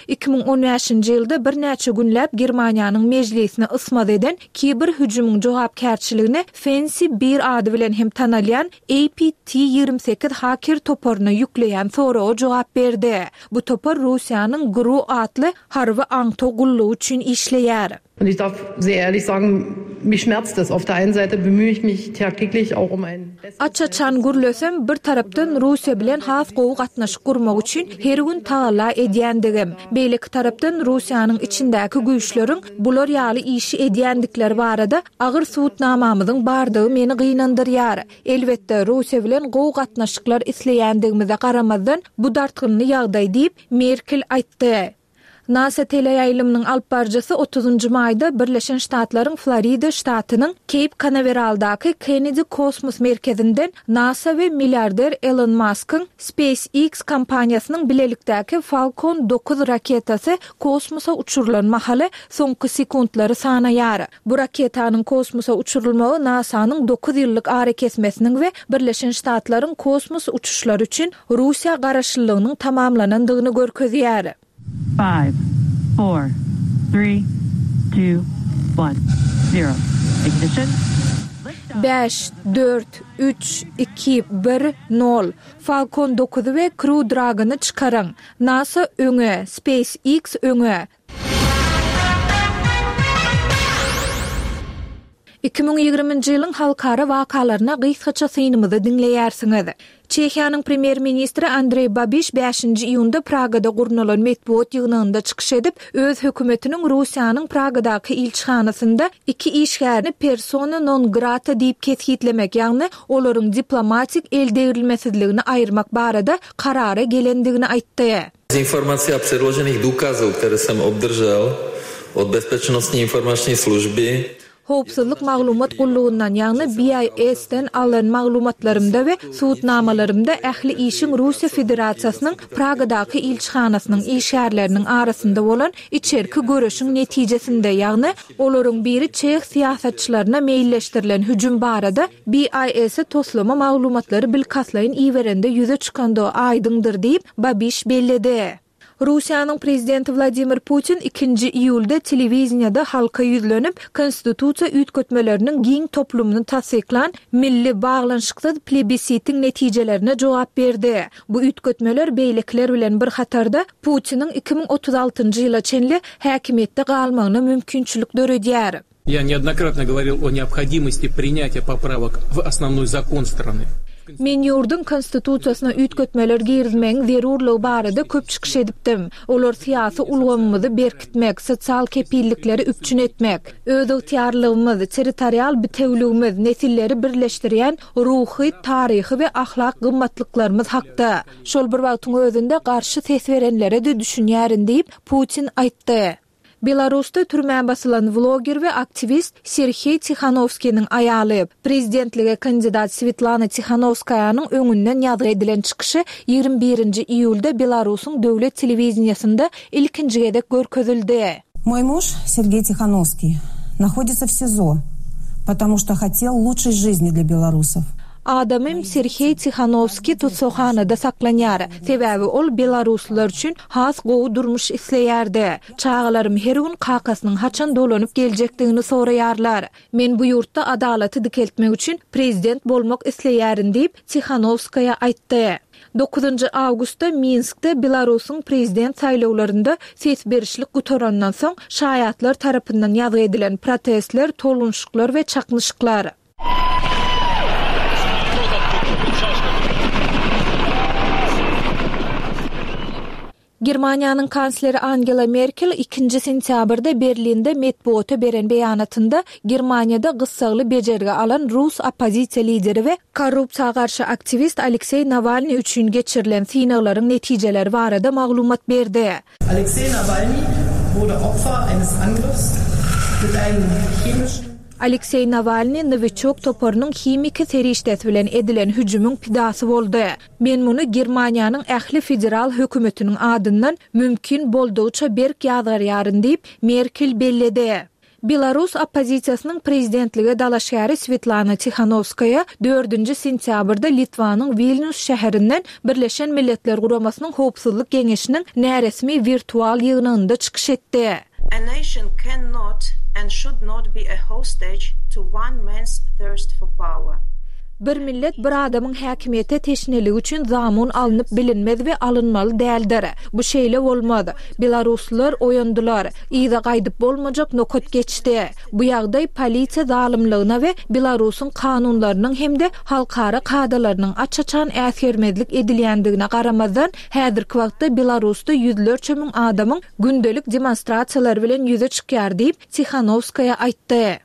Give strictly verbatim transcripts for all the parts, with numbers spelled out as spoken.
iki müň on bäşinji ýylda birnäçe günläp Germaniýanyň mejlisini ysmaz eden kiber hüjümiň jogapkärçiligini Fancy Bear ady bilen hem tanalýan A P T ýigrimi sekiz haker toparyna ýükleýän soraga jogap berdi. Bu topar Russiýanyň G R U atly harby aňtaw gullugy üçin işleýär. Und ich darf sehr ehrlich sagen, mich schmerzt das. Auf der einen Seite bemühe ich mich tagtäglich auch um ein besseres Aç-açan gürlesem, bir tarapdan Russiýa bilen has gowy gatnaşyk gurmak üçin her gün tagalla edýändigim, beýleki tarapdan Russiýanyň içindäki güýçleriň bular ýaly işi edýändikleri barada agyr subutnamamyzyň bardygy meni gynandyrýar. Elbetde, Russiýa bilen gowy gatnaşyklar isleýändigimize garamazdan, bu dartgynly ýagdaý diýip, Merkel aýtdy. NASA teleýaýlymynyň alyp baryjysy otuzynjy maýda Birleşen Ştatlaryň Florida ştatynyň Keýp Kanaweraldaky Kennedy kosmos merkezinden NASA we milliarder Elon Muskyň SpaceX kompaniýasynyň bilelikdäki Falcon dokuz raketasy kosmosa uçurylan mahaly soňky sekuntlary sanaýar. Bu raketanyň kosmosa uçurylmagy NASA-nyň dokuz ýyllyk arakesmesiniň we Birleşen Ştatlaryň kosmos uçuşlary üçin Russiýa garaşlylygynyň tamamlanandygyny görkezýär. Five, four, three, two, one, zero. Ignition. Bäş, dört, üç, iki, bir, nol. Falcon dokuzy we Crew Dragon-y çykaryň. NASA öňe, SpaceX öňe. Iki müň ýigriminji ýylyň halkara wakalaryna gysgaça synymyzy diňleýärsiňiz. Çehiýanyň premýer-ministri Andreý Babiş bäşinji iýunda Pragada gurnalan metbugat ýygnagynda çykyş edip, öz hökümetiniň Russiýanyň Pragadaky ilçihanasynda iki işgärini persona non grata diýip kesgitlemek, ýagny olaryň diplomatik eldegrilmesizligini aýyrmak barada karara gelendigini aýtdy. Z informací a předložených důkazů, které jsem obdržel od Bezpečnostní informační služby, Howpsuzlyk maglumat gullugyndan, ýagny B I S-den alan maglumatlarymda we subutnamalarymda ähli işiň Russiýa Federasiýasynyň Pragadaky ilçihanasynyň işgärleriniň arasynda bolan içerki göreşiň netijesinde, ýagny olaryň biri çeh syýasatçylaryna meýilleşdirilen hüjüm barada B I S-e toslama maglumatlary bilkastlaýyn iberende ýüze çykandygy aýdyňdyr diýip, Babiş belledi. Russiýanyň prezidenti Wladimir Putin ikinji iýulda telewiziyada halka ýüzlenip, konstitusiýa üýtgetmeleriniň giň toplumyny tassyklan milli baglanyşyksyz plebisitiň netijelerine jogap berdi. Bu üýtgetmeler beýlekiler bilen bir hatarda Putiniň iki müň otuz altynjy ýyla çenli häkimiýetde galmagyna mümkinçilik döredýär. Я неоднократно говорил о необходимости принятия поправок в основной закон страны. Men ýurduň konstitusiýasyna üýtgetmeler girizmegiň zerurlygy barada köp çykyş edipdim. Olar syýasy ulgamymyzy berkitmek, sosial kepillikleri üpjün etmek, öz ygtyýarlygymyz, territorial bitewligimiz, nesilleri birleşdirýän ruhy, taryhy we ahlak gymmatlyklarymyz hakda. Şol bir wagtyň özünde garşy ses berenlere de düşünýärin diýip Putin aýtdy. Belarusda türmä basylan vloger we aktivist Sergey Tixanovskiyniň aýaly, prezidentlige kandidat Svetlana Tixanovskayanyň öňünden ýazgy edilen çykyşy ýigrimi birinji iýulda Belarusyň döwlet telewiziyasynda ilkinji gezek görkezildi. Мой муж Сергей Тихановский находится в СИЗО, потому что хотел лучшей жизни для белорусов. Adamym Sergey Tixanovskiy tutsahanada saklanýar. Sebäbi ol belaruslar üçin has gowy durmuş isleýärdi. Çagalarym her gün kakasynyň haçan dolanyp geljekdigini soraýarlar. Men bu ýurtda adalaty dikeltmek üçin prezident bolmak isleýärin diýip Tixanovskaya aýtdy. Dokuzynjy awgustda Minskde Belarusyň prezident saýlawlarynda ses berişlik gutarandan soň şaýatlar tarapyndan ýazgy edilen protestler, tolgunşyklar we çaknyşyklar. Germaniýanyň kansleri Angela Merkel ikinji sentýabrda Berlinde metbuata beren beýanatynda Germaniýada gyssagly bejergi alan Rus oppozisiýa lideri we korrupsiýa garşy aktiwist Aleksey Nawalny üçin geçirilen synaglaryň netijeleri barada maglumat berdi. Alexei Nawalny wurde Opfer eines Angriffs mit einem chemischen Aleksey Nawalny Novichok toparynyň himiki serişdesi bilen edilen hüjümiň pidasy boldy. Men muny Germaniýanyň ähli federal hökümetiniň adyndan mümkin boldugyça berk ýazgarýaryn diýip Merkel belledi. Belarus oppozisiýasynyň prezidentlige dalaşgäri Swetlana Tihanowskaýa dördünji sentýabrda Litwanyň Wilnýus şäherinden Birleşen Milletler Guramasynyň Howpsuzlyk Geňeşiniň näresmi wirtual ýygnagynda çykyş etdi. A nation cannot and should not be a hostage to one man's thirst for power. Bir millet bir adamyň häkimiýete teşneligi üçin zamun alnyp bilinmez we alynmaly däldir. Bu şeýle bolmaz. Belaruslylar oýandylar. Yza gaýdyp bolmajak nokat geçdi. Bu ýagdaý polisiýa zalymlygyna we Belarusyň kanunlarynyň hem-de halkara kadalarynyň aç-açan äsgermezlik edilýändigine garamazdan, häzirki wagtda Belarusda ýüzlerçe müň adamyň gündelik demonstrasiýalary bilen ýüze çykýar diýip, Tihanowskaýa aýtdy.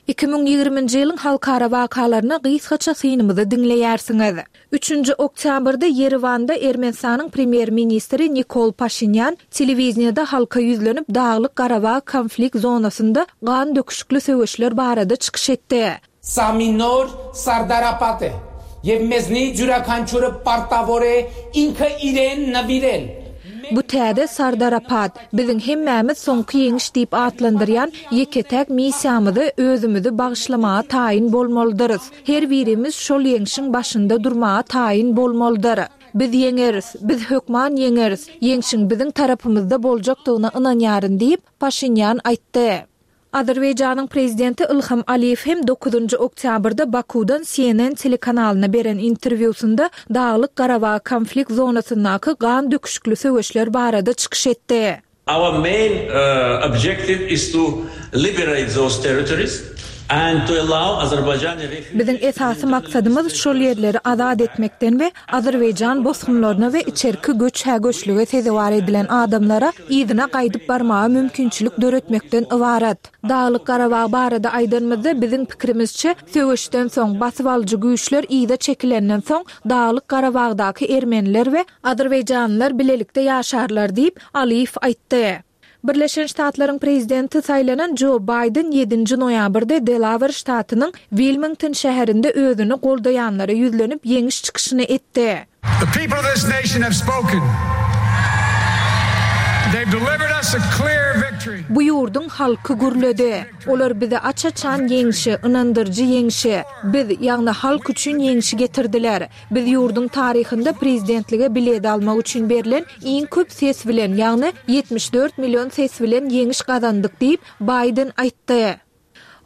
Iki müň ýigriminji ýylyň halkara wakalaryna gysgaça synymyzy diňleýärsiňiz. Üçünji oktýabrda Ýerewanda Ermenistanyň premýer-ministri Nikol Paşinýan telewideniýede halka ýüzlenip Daglyk-Garabag konflikt zonasynda gan döküşikli söweşler barada çykyş etdi. Սա մի նոր Սարդարապատ է և մեզնից յուրաքանչյուրը պարտավոր է ինքը իրեն նվիրել։ Bu täze Sardarapat, biziň hemmämiz soňky ýeňiş diýip atlandyrýan ýeke-täk missiýamyzy özümizi bagyşlamaga taýyn bolmalydyrys. Her birimiz şol ýeňşiň başynda durmaga taýyn bolmalydyr. Biz ýeňeris, biz hökman ýeňeris, ýeňşiň biziň tarapymyzda boljakdygyna ynanýaryn diýip, Paşinýan aýtdy. Azerbaýjanyň prezidenti Ilham Aliýew hem dokuzynjy oktýabrda Bakudan C N N telekanalyna beren interwýusynda Daglyk-Garabag konflikt zonasyndaky gan döküşikli söweşler barada çykyş etdi. Our main, uh, objective is to liberate those territories and to allow Azerbaijani refugees Biziň esasy maksadymyz şol ýerleri azat etmekden we Azerbaýjan bosgunlaryna we içerki göç-hä-göçlüge sezewar edilen adamlara yzyna gaýdyp barmaga mümkinçilik döretmekden ybarat. Daglyk-Garabag barada aýdanymyzda biziň pikirimizçe söweşden soň basyp alyjy güýçler yza çekilenden soň Daglyk-Garabagdaky ermeniler we Azerbaýjanlylar bilelikde ýaşarlar diýip Aliýew aýtdy. Birleşen Ştatlaryň prezidenti saýlanan Joe Biden ýedinji noýabrda Delaware ştatynyň Wilmington şäherinde özüni goldaýanlara ýüzlenip ýeňiş çykyşyny etdi. The people of this nation have spoken. They've delivered us a clear victory. Bu ýurduň halky gürledi. Olar bize aç-açan ýeňşi, ynandyryjy ýeňşi, biz, ýagny halk üçin ýeňşi getirdiler. Biz ýurduň taryhynda prezidentlige bilet almak üçin berlen iň köp ses bilen, ýagny ýetmiş dört million ses bilen ýeňiş gazandyk diýip Biden aýtdy.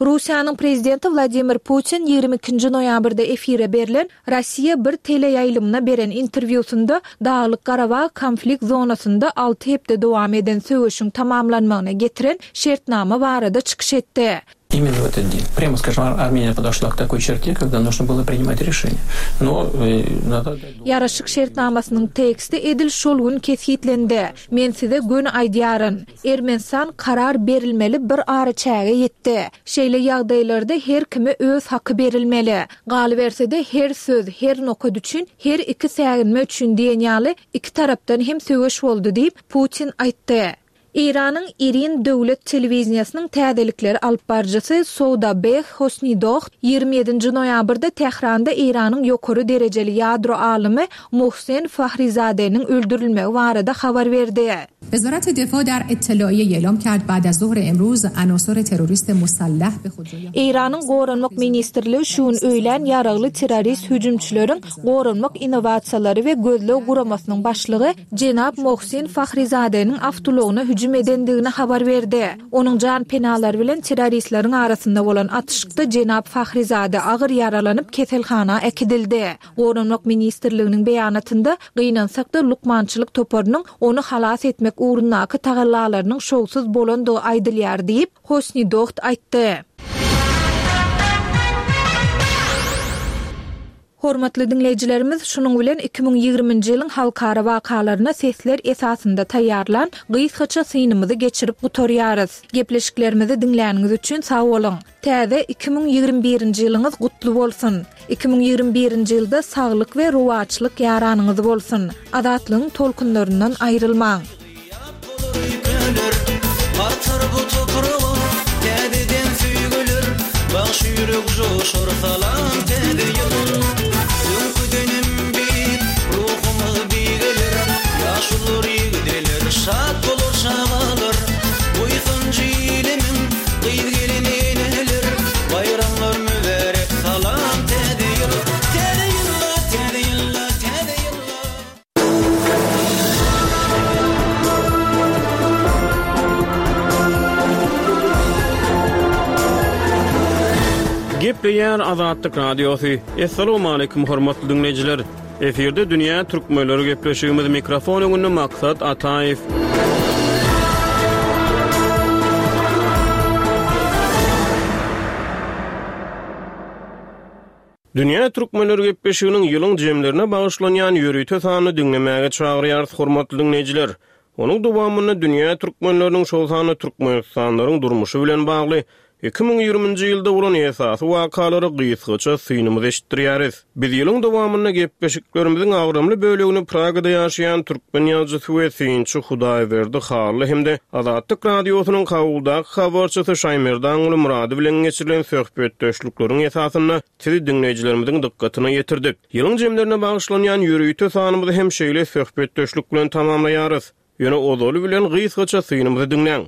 Russiýanyň prezidenti Wladimir Putin ýigrimi ikinji noýabrda efire berlen Russiýa bir teleýaýlymyna beren interwýusynda Daglyk-Garabag konflikt zonasynda alty hepde dowam eden söweşiň tamamlanmagyna getiren şertnama barada çykyş etdi. Именно в этот день. Прямо скажем, Ар-, Армения подошла к такой черте, когда нужно было принимать решение. Но, э, надо отдать должное. Ýaraşyk şertnamasynyň teksti edil şol gün kesgitlendi. Men size göni aýdýaryn. Ermenistan karar berilmeli bir araçäge ýetdi. Şeýle ýagdaýlarda her kime öz haky berilmeli. Galyberse-de her söz, her nokat üçin, her iki säginme üçin diýen ýaly iki tarapdan hem söweş boldy diýip Putin aýtdy. Eýranyň Irin döwlet telewiziýasynyň täzelikleri alyp baryjysy Soudabeh Hosnidoh ýigrimi ýedinji noýabrda Tähranda Eýranyň ýokary derejeli ýadro alymy Mohsen Fahrizadeniň öldürilmegi barada habar berdi. Wezaret Defa dar ittelaýe eýlam kard ba'd az zuhr emruz anasor terrorist musallah be khudroy Eýranyň Goranmak Ministrligi şu gün öýlän ýaragly terrorist hüjümçileriň goranmak innowasiýalary we gözleg guramasynyň başlygy Jenab Mohsen Fahrizadeniň awtoulygyna hüjüm edendigini habar berdi. Onuň jan penalary bilen terroristleriň arasynda bolan atyşykda Jenab Fahrizade agyr ýaralanyp keselhana äkidildi. Goranmak Ministrliginiň beýanatynda gynansak da lukmançylyk toparynyň ony halas etmek ugrundaky tagallalarynyň şowsuz bolandygy aýdylýar diýip Hosnidoht aýtdy. Hormatly dinleýjilerimiz, şunuň bilen iki müň ýigriminji ýylyň halkara wakalaryna sesler esasynda taýýarlan gysgaça synymyzy geçirip gutarýarys. Gepleşiklerimizi diňläniňiz üçin sag boluň. Täze iki müň ýigrimi birinji ýylyňyz gutly bolsun. Iki müň ýigrimi birinji ýylda saglyk we rowaçlyk ýaranyňyz bolsun. Azatlygyň tolkunlaryndan aýrylmaň. Artar bu toprağa täzeden söýgüler, bagş ýürek joşar salam täze ýyl. Öňküdenem beýik ruhumyz beýgeler, ýaşular ýigdeler şat Gepleýär Azatlyk Radiosy. Assalamualaikum hormatly dinleýjiler. Efirde Dünýä Türkmenleri gepleşigimiz mikrofon öňünde Maksat Ataýew. Dünýä Türkmenleri gepleşiginiň ýylyň jemlerine bagyşlanýan ýörite sanyny diňlemäge çagyrýarys hormatly dinleýjiler. Onuň dowamynda dünýä türkmenleriniň şol sanda Türkmenistanlaryň durmuşy bilen bagly iki müň ýigriminji ýylda bolan esasy wakalary gysgaça synymyz eşitdirýäris. Biz ýylyň dowamynda gepleşiklerimiziň agramly bölegini Pragada ýaşaýan türkmen ýazyjysy we synçy Hudaýberdi Hally hem-de Azatlyk Radiosynyň Kabuldaky habarçysy Şaýmerdanguly Murady bilen geçirilen söhbetdeşlikleriň esasynda sizi dinleýjilerimiziň dykgatyna ýetirdik. Ýylyň jemlerine bagyşlanýan ýörite sanymyzy hem şeýle söhbetdeşlik bilen tamamlaýarys. Ýöne ozaly bilen gysgaça synymyzy diňläň.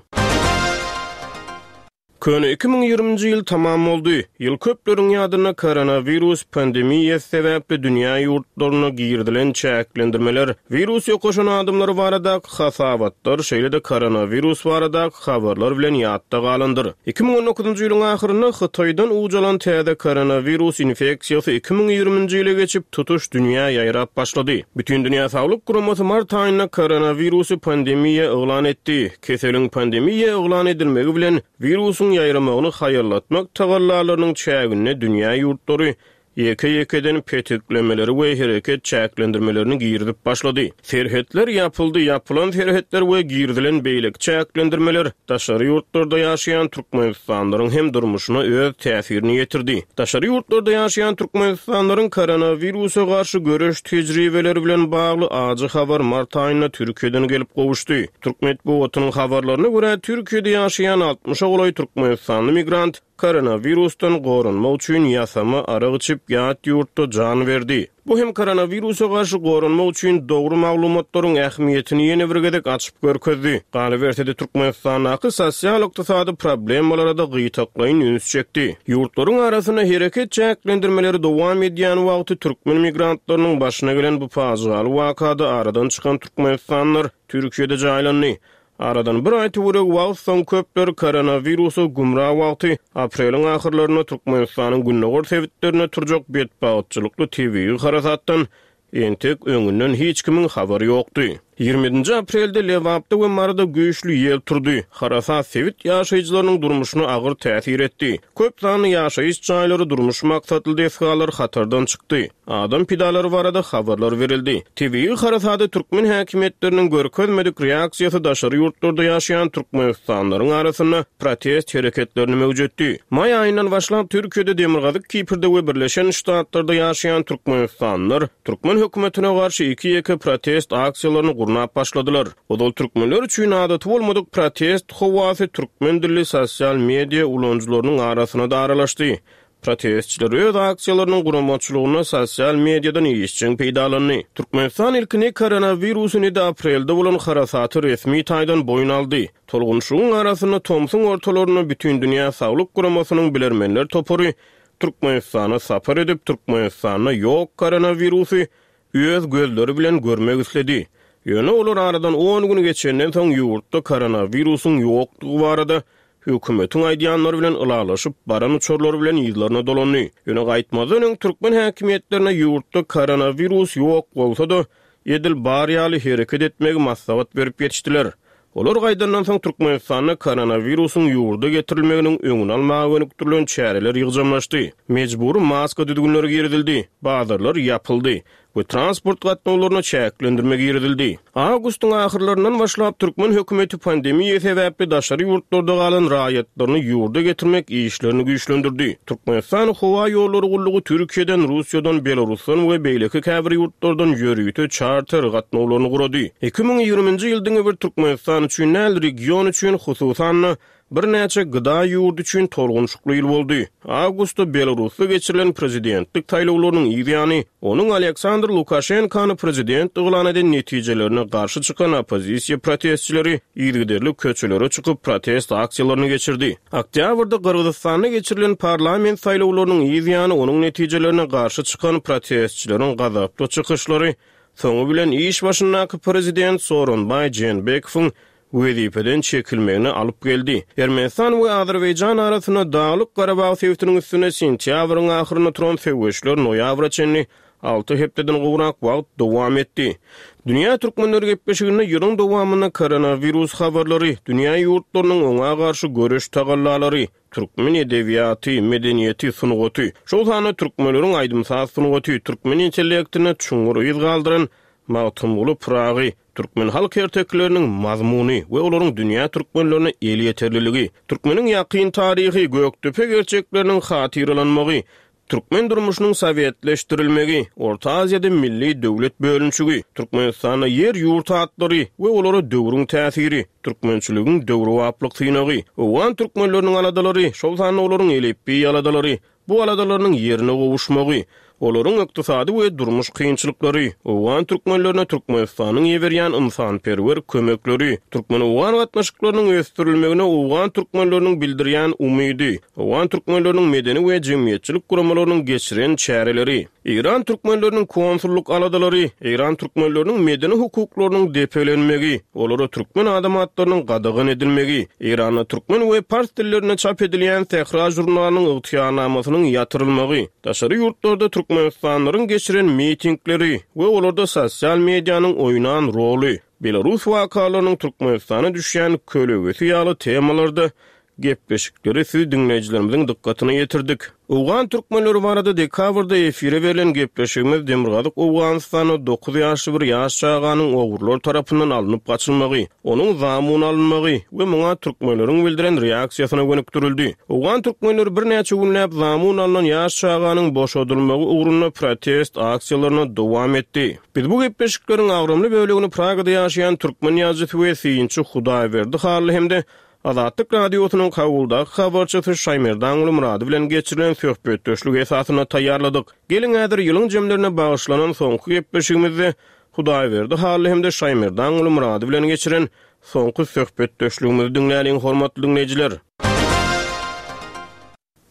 Köne iki müň ýigriminji ýyl tamam boldy. Ýyl köpleriň ýadynda koronawirus pandemiýasy sebäpli dünýä ýurtlaryna girizilen çäklendirmeler, wirus ýokaşan adamlar baradaky hasabatlar, şeýle-de koronawirus baradaky habarlar bilen ýatda galandyr. Iki müň on dokuzynjy ýylyň ahyrynda Hytaýdan ucalan täze koronawirus infeksiýasy iki müň ýigriminji ýyla geçip tutuş dünýä ýaýrap başlady. Bütün Dünýä Saglyk Guramasy mart aýynda koronawirusy pandemiýa yglan etdi. Keseliň pandemiýa yglan edilmegi bilen wirusyň ýaýramagyny haýallatmak tagallalarynyň çäginde dünýä ýurtlary ýeke-ýekeden petiklemeleri we hereket çäklendirmelerini girizip başlady. Serhetler ýapyldy, ýapylan serhetler we girizilen beýleki çäklendirmeler daşary ýurtlarda ýaşaýan Türkmenistanlaryň hem durmuşyna öz täsirini ýetirdi. Daşary ýurtlarda ýaşaýan Türkmenistanlaryň koronawirusa garşy göreş tejribeleri bilen bagly ajy habar mart aýynda Türkiýeden gelip gowuşdy. Türk metbugatynyň habarlaryna görä Türkiýede ýaşaýan altmyşa golaý Türkmenistanly migrant koronavirusdan goranmak üçin ýasama arak içip ýat ýurtda jan berdi. Bu hem koronawirusa garşy goranmak üçin dogry maglumatlaryň ähmiýetini ýene bir gezek açyp görkezdi. Galyberse-de Türkmenistandaky sosial-ykdysady problemalara da gytaklaýyn üns çekdi. Ýurtlaryň arasynda hereket çäklendirmeleri dowam edýän wagty türkmen migrantlarynyň başyna gelen bu pajygaly wakada aradan çykan Türkmenistanlar Türkiýede jaýlandy. Aradan bir aý töweregi wagt soň köpler koronawirusa gümra wagty apreliň ahyrlarynda Türkmenistanyň gündogar sebitlerine turjak betbagtçylykly tebigy harasatdan entek öňünden hiç kimiň habary ýokdy. Ýigrimi ýedinji aprelde Lebapda we Maryda güýçli ýel turdy. Harasat sebit ýaşaýjylarynyň durmuşyna agyr täsir etdi. Köp sanly ýaşaýyş jaýlary, durmuş maksatly desgalar hatardan çykdy. Adam pidalary barada habarlar berildi. Tebigy harasady türkmen häkimiýetleriniň görkezmedik reaksiýasy daşary ýurtlarda ýaşaýan Türkmenistanlaryň arasynda protest hereketlerini möwjetdi. Maý aýyndan başlap Türkiýede Demirgazyk Kiprde we Birleşen Ştatlarda ýaşaýan Türkmenistanlar türkmen hökümetine garşy iki ýeke protest aksiýalaryny gurnap başladylar. Ozal türkmenler üçin adaty bolmadyk protest howasy türkmen dilli sosial media ulanyjylarynyň arasyna da aralaşdy. Protestçiler öz aksiýalarynyň guramaçylygyna sosial mediadan işjeň peýdalandy. Türkmenistan ilkini koronawirusyny ýedi aprelde bolan harasaty resmi taýdan boýun aldy. Tolgunşygyň arasynda tomsuň ortalarynda Bütün Dünýä Saglyk Guramasynyň bilermenler topary Türkmenistana sapar edip Türkmenistanda ýok koronawirusy öz gözleri bilen görmek isledi. Ýöne olar aradan on gün geçenden soň ýurtda koronawirusyň ýokdugy barada hökümetiň aýdýanlary bilen ylalaşyp baran uçarlar bilen ýyllaryna dolandy. Ýöne gaýtmazdan öň türkmen häkimiýetlerine ýurtda koronawirus ýok bolsa-da edil bar ýaly hereket etmegi maslahat berip ýetişdiler. Olar gaýdandan soň Türkmenistanda koronawirusyň ýurda getirilmeginiň öňüni almaga gönükdirilen çäreler ýygjamlaşdy. Mejbury maska düzgünleri girizildi, bazarlar ýapyldy we transport gatnawlaryna çäklendirme girizildi. Awgustyň ahyrlaryndan başlap türkmen hökümeti pandemiýa sebäpli daşary ýurtlarda galan raýatlaryny ýurda getirmek işlerini güýçlendirdi. Türkmenistan howa ýollary gullugy Türkiýeden, Russiýadan, Belarusdan we beýleki käbir ýurtlardan ýörite çarter gatnawlaryny gurady. Iki müň ýigriminji ýyl diňe bir Türkmenistan üçin däl, region üçin hususan-da birnäçe gıda ýurdy üçin tolgunçykly ýyl boldy. Awgustda Belarusda geçirilen prezidentlik saýlawlarynyň ýany, onuň Aleksandr Lukaşenkany prezident yglan eden netijelerine garşy çykan oppozisiýa protestçileri yzygiderli köçelere çykyp protest aksiýalaryny geçirdi. Oktýabrda Gyrgyzystanda geçirilen parlament saýlawlarynyň ýany, onuň netijelerine garşy çykan protestçileriň gazaply çykyşlary soňy bilen iş başyndaky prezident Soronbaý Jeenbekowyň wezipeden çekilmegine alyp geldi. Ermenistan we Azerbaýjan arasynda Daglyk Garabag sebitiniň üstüne sentýabryň ahyrynda turan söweşler noýabra çenli alty hepdeden gowrak wagt dowam etdi. Dünýä türkmenleri gepleşiginde ýylyň dowamynda koronawirus habarlary, dünýä ýurtlarynyň oňa garşy göreş tagallalary, türkmen edebiýaty, medeniýeti, sungaty, şol sanda türkmenleriň aýdym-saz sungaty, türkmen intellektine çuňňur yz galdyran Magtymguly Pyragy, türkmen halk ertekileriniň mazmuny we olaryň dünýä türkmenlerine elýeterliligi, türkmeniň ýakyn taryhy, Gökdepe gerçekleriniň hatyralanmagy, türkmen durmuşynyň sowetleşdirilmegi, Orta Aziýada milli döwlet bölünişigi, Türkmenistanda ýer-ýurt atlary we olara döwrüň täsiri, türkmençiligiň döwrebaplyk synagy, owgan türkmenleriniň aladalary, şol sanda olaryň elipbiý aladalary, bu aladalarynyň ýerine gowuşmagy, olaryň ykdysady we durmuş kynçylyklary, owgan türkmenlerine Türkmenistanyň iberýän ynsanperwer kömekleri, türkmen-owgan gatnaşyklarynyň ösdürilmegine owgan türkmenleriniň bildirýän umydy, owgan türkmenleriniň medeni we jemgyýetçilik guramalarynyň geçiren çäreleri, Eýran türkmenleriniň konsullyk aladalary, Eýran türkmenleriniň medeni hukuklarynyň depelenmegi, olara türkmen adam atlarynyň gadagan edilmegi, Eýranda türkmen we pars dillerinde çap edilýän Sähra žurnalynyň ygtyýarnamasynyň ýatyrylmagy, daşary ýurtlarda türkmenistanlylaryň geçiren mitingleri we olarda sosial medianyň oýnan roly, Belarus wakalarynyň Türkmenistana düşýän kölegesi ýaly temalarda gepleşikleri siz diňleýjilerimiziň dykgatyna ýetirdik. Owgan türkmenleri barada dekabrda efire berlen gepleşigimiz Demirgazyk Owganystanda dokuz ýaşly bir ýaş çaganyň ogrular tarapyndan alnyp gaçylmagy, onuň zamun alynmagy we muňa türkmenleriň bildiren reaksiýasyna gönükdirildi. Owgan türkmenleri birnäçe günläp zamun alnan ýaş çaganyň boşadylmagy ugrunda protest aksiýalaryna dowam etdi. Biz bu gepleşikleriň agramly bölegini Pragada ýaşaýan türkmen ýazyjysy we synçy Hudaýberdi Hally hem-de Azatlyk Radiosynyň Kabuldaky habarçysy Şaýmerdanguly Murady bilen geçirilen söhbetdeşlik esasynda taýýarladyk. Geliň häzir ýylyň jemlerine bagyşlanan soňky gepleşigimizde Hudaýberdi Hally hem-de Şaýmerdanguly Murady bilen geçiren soňky söhbetdeşligimizi diňläliň, hormatly diňleýjiler.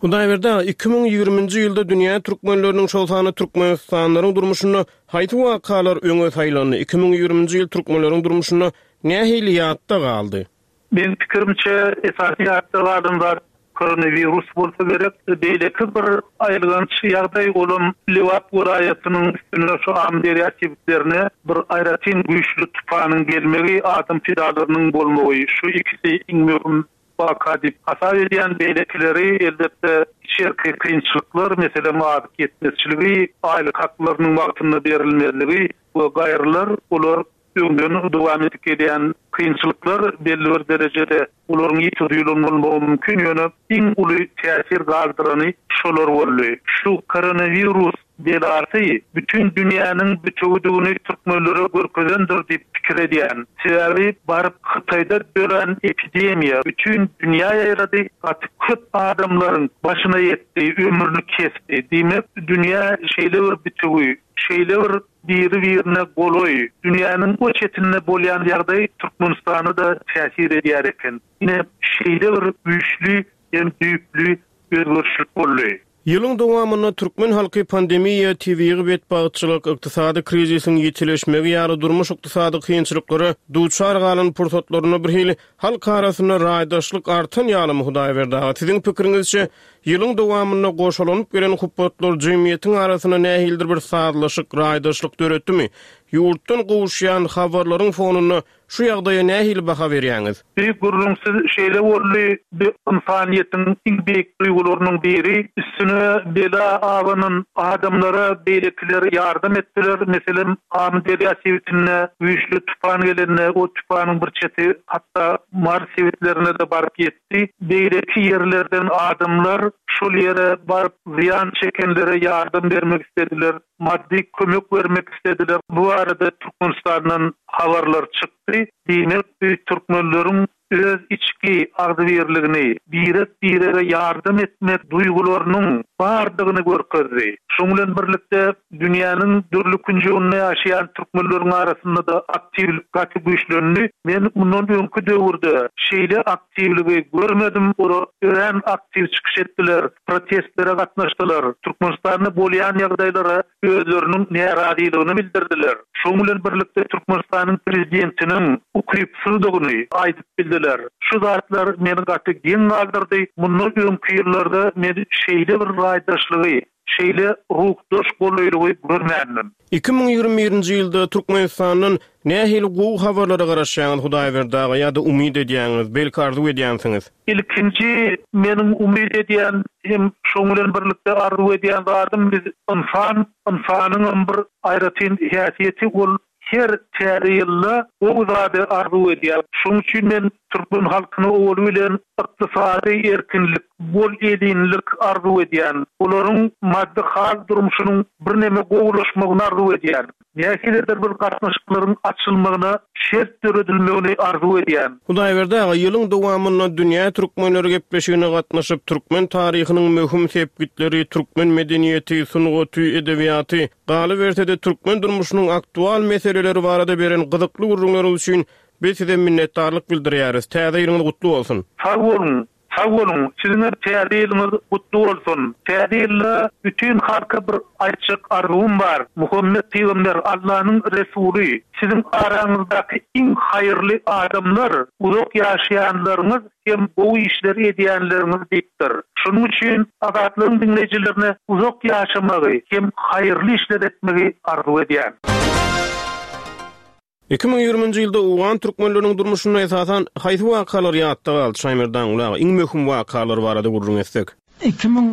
Hudaýberdi aga, iki müň ýigriminji ýylda dünýä türkmenleriniň, şol sanda türkmenistanlylaryň durmuşynda haýsy wakalar öňe saýlandy? Iki müň ýigriminji ýyl türkmenleriň durmuşynda nähili ýatda galdy? Meň pikirimçe, esasy ýatda galan zat koronawirus bolsa gerek. Beýleki bir aýylganç ýagdaý olam Lebap welaýatynyň üstüne şu Amyderýa sebitlerine bir aýratyn güýçli tupanyň gelmegi, adam pidalarynyň bolmagy, şu ikisi iň möhüm waka diýip hasap edýän. Beýlekileri elbetde içerki kynçylyklar, meselem azyk ýetmezçiligi, aýlyk haklarynyň wagtynda berilmezligi we gaýrylar, olar öňden dowam edip gelýän kynçylyklar belli bir derejede olaryň ýiti duýulan bolmagy mümkin, ýöne iň uly täsir galdyrany şolar boldy. Şu koronawirus belasy bütün dünýäniň bütewüdigini türkmenlere görkezendir diýip pikir edýän. Sebäbi baryp Hytaýda dörän epidemiýa bütün dünýä ýaýrady, gaty köp adamlaryň başyna ýetdi, ömrüni kesdi. Diýmek, dünýä şeýle bir bütewi, şeýle bir biri-birine golaý, dünýäniň o çetinde bolýan ýagdaý Türkmenistana-da täsir edýär eken. Ine, şeýle bir güýçli hem düýpli özgerişlik boldy. Ýylyň dowamynda türkmen halky pandemiýa, tebigy betbagtçylyk, ykdysady krizisiň ýitileşmegi ýaly durmuş-ykdysady kynçylyklara duçar galan pursatlarynda bir hili halk arasynda raýdaşlyk artan ýalymy, Hudaýberdi aga? Siziň pikiriňizçe, ýylyň dowamynda goşalanyp gelen hupbatlar jemgyýetiň arasynda nähilidir bir sazlaşyk, raýdaşlyk döretdimi? Ýurtdan gowuşýan habarlaryň fonunda şu ýagdaýa nähili baha berýäňiz? Bir gürrüňsiz şeýle boldy, bu ynsanyýetiň iň beýik duýgularynyň biri, üstüne bela abanan adamlara beýlekiler ýardam etdiler. Meselem, Amyderýa sebitinde güýçli tupan gelende, o tupanyň bir çeti hatda Mars sebitlerine-de baryp ýetdi. Beýleki ýerlerden adamlar şol ýere baryp zyýan çekenlere ýardam bermek islediler, maddy kömek bermek islediler. Bu barada Türkmenistandan habarlar çykdy. Diýmek, bu türkmenleriň öz içki içki agzybirligini, birek-birege ýardam etmek duýgularynyň bardygyny görkezdi. Şonuň bilen birlikde dünýäniň dürli künjeginde ýaşaýan türkmenleriň arasynda-da aktiwlik gaty güýçlendi. Men mundan öňki döwürde şeýle aktiwligi görmedim. Olar örän aktiw çykyş etdiler, protestlere gatnaşdylar, Türkmenistanda bolýan ýagdaýlara özleriniň närazylygyny bildirdiler. Şonuň bilen birlikde Türkmenistanyň prezidentiniň ukypsyzdygyny aýdyp bildiler. Şu zatlar meni gaty geň galdyrdy. Mundan öňki ýyllarda men şeýle bir raýdaşlygy, şeýle ruhdaş golaýlygy görmändim. Iki müň ýigrimi birinji ýylda Türkmenistandan nähili gowy habarlara garaşýaňyz Hudaýberdi aga ýa-da umyt edýäňiz, belki arzuw edýänsiňiz? Ilkinji meniň umyt edýän hem şoň bilen birlikde arzuw edýän zadym biz ynsan, ynsanyňam bir aýratyn häsiýeti ol her täze ýylda gowy zady arzuw edýär. Şoň üçin men türkmen halkyna owaly bilen ykdysady erkinlik, bol elinlik arzuw edýän. Olaryň maddy hal durmuşynyň birneme gowulaşmagyny arzuw edýän. Nähilidir bir gatnaşyklaryň açylmagyna şert döredilmegini arzuw edýän. Hudaýberdi aga, ýylyň dowamynda Dünýä türkmenleri gepleşigine gatnaşyp, türkmen taryhynyň möhüm sepgitleri, türkmen medeniýeti, sungaty, edebiýaty, galyberse-de türkmen durmuşynyň aktual meseleleri barada beren gyzykly gürrüňleriňiz üçin biz size minnetdarlyk bildirýäris. Täze ýylyňyz gutly bolsun. Sag boluň, sag boluň. Siziň hem täze ýylyňyz gutly bolsun. Täze ýylda bütin halka bir aýtjak arzuwym bar. Muhammet pygamber Allanyň resuly, siziň araňyzdaky iň haýyrly adamlar, uzak ýaşaýanlaryňyz hem gowy işler edýänleriňiz diýipdir. Şonuň üçin Azatlygyň diňleýjilerine uzak ýaşamagy hem haýyrly işler etmegi arzuw edýän. Iki müň ýigriminji ýylda owgan türkmenleriniň durmuşynda esasan haýsy wakalar ýatda galdy? Şaýmerdan Ulaga iň möhüm wakalar barada gürrüň etsek. Iki müň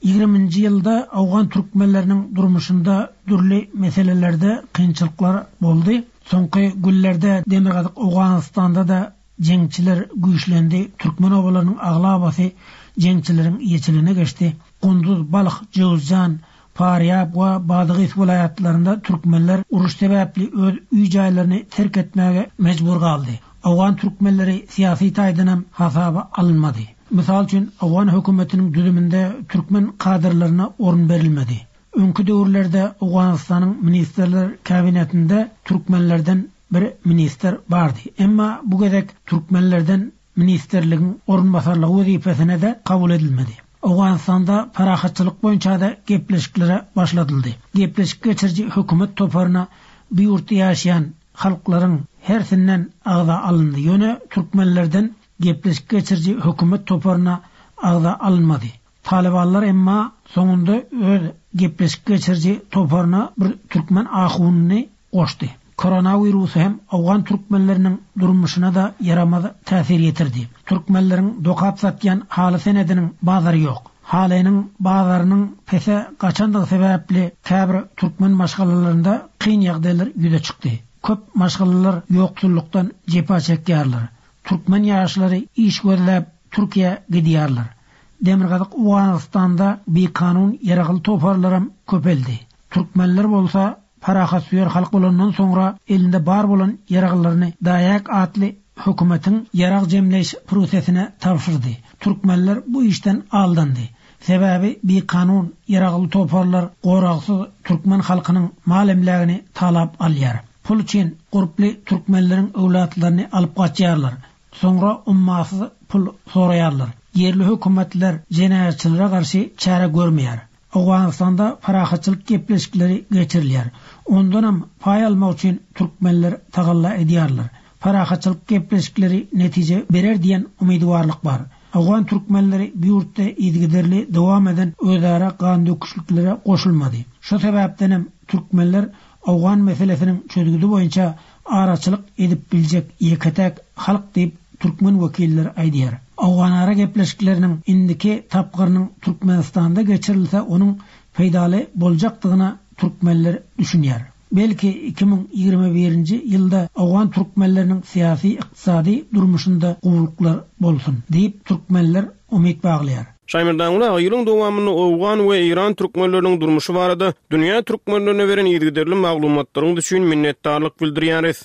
ýigriminji ýylda owgan türkmenleriniň durmuşynda dürli meselelerde kynçylyklar boldy. Soňky günlerde Demirgazyk Owganystanda-da jeňçiler güýçlendi. Türkmen obalarynyň aglabasy jeňçileriň ýeçiligine geçdi. Gunduz, Balh, Jowzjan, Farýab we Badagys welaýatlarynda türkmenler uruş sebäpli öz öý jaýlaryny terk etmäge mejbur galdy. Owgan türkmenleri syýasy taýdanam hasaba alynmady. Mysal üçin, owgan hökümetiniň düzüminde türkmen kadrlaryna orun berilmedi. Öňki döwürlerde Owganystanyň ministrler kabinetinde türkmenlerden bir ministr bardy. Emma bu gezek türkmenlerden ministrligiň orunbasarlygy wezipesine de kabul edilmedi. Owganystanda parahatçylyk boýunça da gepleşiklere başladyldy. Gepleşik geçiriji hökümet toparyna bu ýurtda ýaşaýan halklaryň hersinden agza alyndy. Ýöne türkmenlerden gepleşik geçiriji hökümet toparyna agza alynmady. Talibanlar emma soňunda öz gepleşik geçiriji toparyna bir türkmen ahunyny goşdy. Koronawirusy hem owgan türkmenleriniň durmuşyna da ýaramaz täsir ýetirdi. Türkmenleriň dokap satýan haly senediniň bazary ýok. Halynyň bazarynyň pese gaçandygy sebäpli käbir türkmen maşgalalarynda kyn ýagdaýlar ýüze çykdy. Köp maşgalalar ýoksullukdan jepa çekýärler. Türkmen ýaşlary iş gözläp Türkiýä gidýärler. Demirgazyk Owganystanda bikanun ýaragly toparlaram köpeldi. Türkmenler bolsa parahatsöýer halk bolandan soňra elinde bar bolan ýaraglaryny Daýak atly hökümetiň ýarag jemleýiş prosesine tabşyrdy. Türkmenler bu işden aldandy. Sebäbi bikanun ýaragly toparlar goragsyz türkmen halkynyň mal emlägini talap alýar. Pul üçin gurply türkmenleriň öwlatlaryny alyp gaçýarlar. Soňra ummasyz pul soraýarlar. Ýerli hökümetler jenaýatçylara garşy çäre görmeýär. Owganystanda parahatçylyk gepleşikleri geçirilýär. Ondanam paý almak üçin türkmenler tagalla edýärler. Parahatçylyk gepleşikleri netije berer diýen umydywarlyk bar. Owgan türkmenleri bu ýurtda yzygiderli dowam eden özara gan döküşliklere goşulmady. Şu sebäpdenem türkmenler owgan meselesiniň çözgüdi boýunça araçylyk edip biljek ýeke-täk halk diýip türkmen wekilleri aýdýar. Owganara gepleşikleriniň indiki tapgyrynyň Türkmenistanda geçirilse onuň peýdaly boljakdygyna türkmenler düşünýär. Belki iki müň ýigrimi birinji ýylda owgan türkmenleriniň syýasy ykdysady durmuşynda gowulyklar bolsun diýip türkmenler umyt baglaýar. Şaýmerdan aga, ýylyň dowamynda owgan we Eýran türkmenleriniň durmuşy barada dünýä türkmenlerine beren yzygiderli maglumatlaryň üçin minnetdarlyk bildirýäris.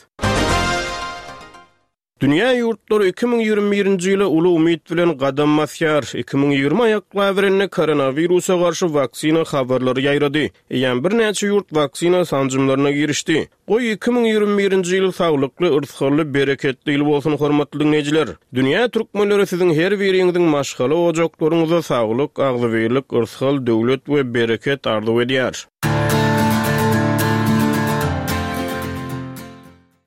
Dünýä ýurtlary iki müň ýigrimi birinji ýyla uly umyt bilen gadam basýar. Iki müň ýigrimi aýaklaberende koronawirusa garşy waksina habarlary ýaýrady. Eýýäm birnäçe ýurt waksina sanjymlaryna girişdi. Goý, iki müň ýigrimi birinji ýyl saglykly, yrsgally, bereketli ýyl bolsun, hormatly diňleýjiler! Dünýä türkmenleri siziň her biriňiziň maşgala ojaklaryňyza saglyk, agzybirlik, yrsgal, döwlet we bereket arzuw edýär.